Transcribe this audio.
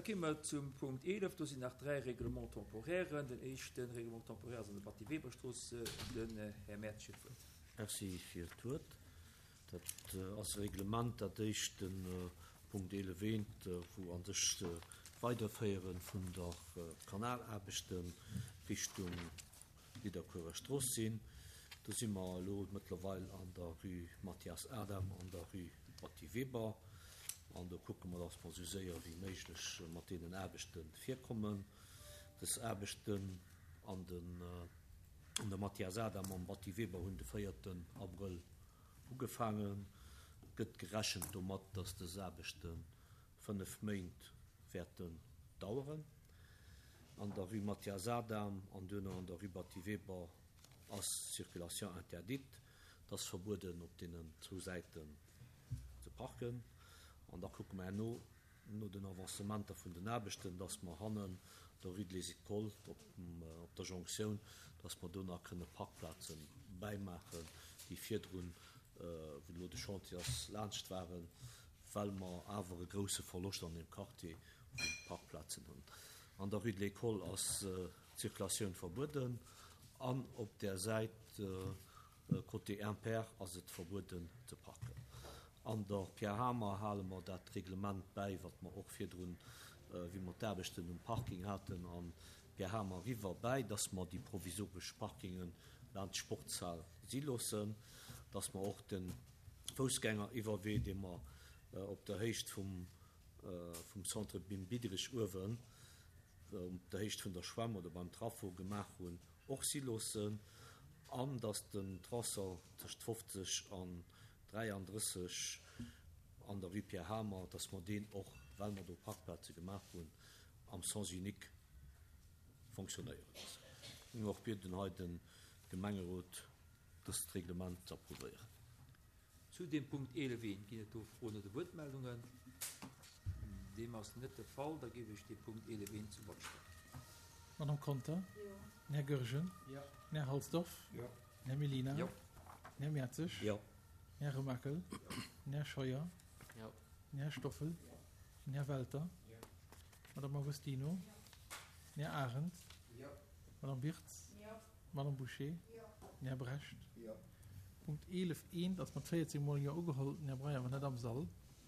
Da kéime mer zum Punkt 11. Do sinn nach dräi Règlements temporairen. Den éischte Règlement temporaire ass an der Batty Weber-Strooss. Den Här Mertsch huet d'Wuert. Merci fir d'Wuert. Dat ass e Reglement, dat éischt de Punkt 11 eent, wou a sech d'Weiderféiere vun der Kanalaarbechte Richtung Nidderkuerer Strooss sinn. Do si mer elo mëttlerweil an der Rue Mathias Adam an der Rue Batty Weber. An do kucke mer, dass mer esou séier wéi méiglech mat deenen Aarbechte virkommen. Dës Aarbechten an den an der Mathias Adam am Batty Weber hunn de véierten Abrëll ugefaangen. Et gëtt gerechent domat, dass dës Aarbechte 5 Méint wäerten daueren. An der Rue Mathias Adam an duerno an der Rue Batty Weber ass d'Circulation interdite. Et ass verbueden op deenen zwou Säiten ze parken. An da kucke mer herno no den Avancementer vun den Aarbechten, dass mer hannen der Rue de les Écoles op der Jonktioun, dass mer do nach kënne Parkplaze bäimaachen, déi virdrun, wou elo de Chantier ass, laanscht waren, well mer awer e grouse Verloscht an deem Quartier vu Parkplazen hunn. An der Rue de l'École ass d'Circulatioun verbueden an op där Säit côté Impair ass et verbueden ze parken. An der Pierre Hamer hale mer dat Reglement bäi, wat mer och virdrun, wéi mer d'Aarbechten um Parking haten, an Pierre Hamer eriwwer bäi, dass mer déi provisoresch Parkinge laanscht d'Sportshal si loossen, dass mer och de Foussgängeriwwerwee, dee mer op der Héicht vum Centre Bim Diderich uewen, op der Héicht vun der Schwämm oder beim Traffo gemaach hunn, och si loossen, an dass den Tronçon tëscht 50 an 33 an der Rue Pierre Hamer, dass mer deen och, well mer do Parkplaze gemaach hunn, am Sens unique fonctionnéiere loossen. Ech géing och bieden, hei de Gemengerot dëst Reglement ze approuvéieren. Zu deem Punkt 11 I, ginn et do Froen oder Wuertmeldungen? Deem ass net de Fall. Da géif ech dee Punkt 11 I zum Vott stellen. Madame Conter? Jo. Den Här Goergen? Jo. Den Här Halsdorf? Jo. Den Här Mellina? Jo. Den Här Mertzig? Jo. Den Här Remakel? Jo. Den Här Scheuer? Jo. Den Här Stoffel? Jo. Den Här Welter? Jo. Madame Agostino? Jo. Den Här Arendt? Jo. Madame Wirtz? Jo. Madame Bouché? Jo. Den Här Brecht? Jo. Punkt 11 eent ass mat 14 mol Jo ugeholl. Den Här Breyer war net am Sall.